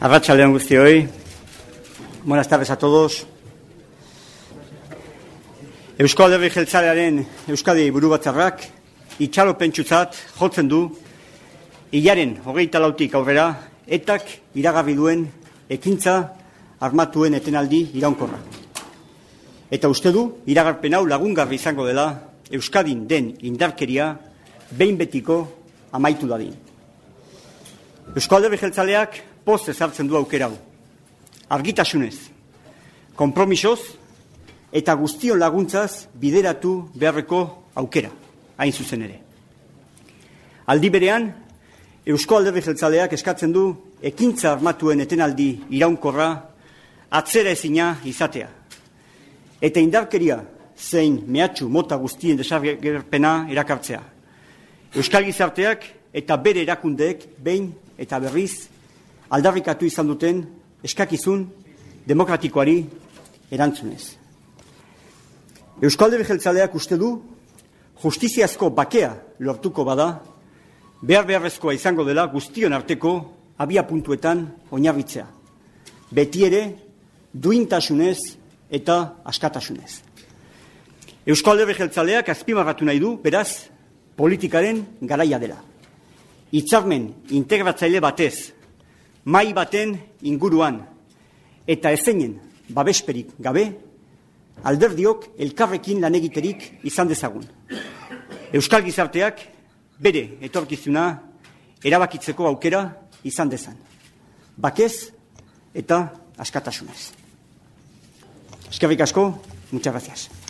Arratsaldeon guztioi. Buenas tardes a todos. Eusko Alderdi Jeltzalearen Euskadi Burubatzarrak itxaropentsutzat jotzen du hilaren 24tik aurrera etak iragarri duen ekintza armatuen etenaldi iraunkorra. Eta uste du iragarpen hau lagungarri izango dela Euskadin den indarkeria behin betiko amaitu dadin. Eusko Alderdi Jeltzaleak poz ezartzen du aukera hau. Argitasunez, konpromisoz eta guztion laguntzaz bideratu beharreko aukera, hain zuzen ere. Aldi berean, Eusko Alderdi Jeltzaleak eskatzen du ekintza armatuen etenaldi iraunkorra atzera ezina izatea. Eta indarkeria zein mehatxu mota guztien desagerpena erakartzea. Euskal gizarteak eta bere erakundeek behin eta berriz aldarrikatu izan duten eskakizun demokratikoari erantzunez. Eusko Alderdi Jeltzaleak uste du justiziazko bakea lortuko bada, beharrezkoa izango dela guztion arteko abia puntuetan oinarritzea. Beti ere duintasunez eta askatasunez. Eusko Alderdi Jeltzaleak azpimarratu nahi du, beraz, politikaren garaia dela. Hitzarmen integratzaile batez, mai baten inguruan eta ezeinen babesperik gabe, alderdiok elkarrekin lan egiterik izan dezagun. Euskal gizarteak bere etorkizuna erabakitzeko aukera izan dezan. Bakez eta askatasunez. Eskerrik asko, muchas gracias.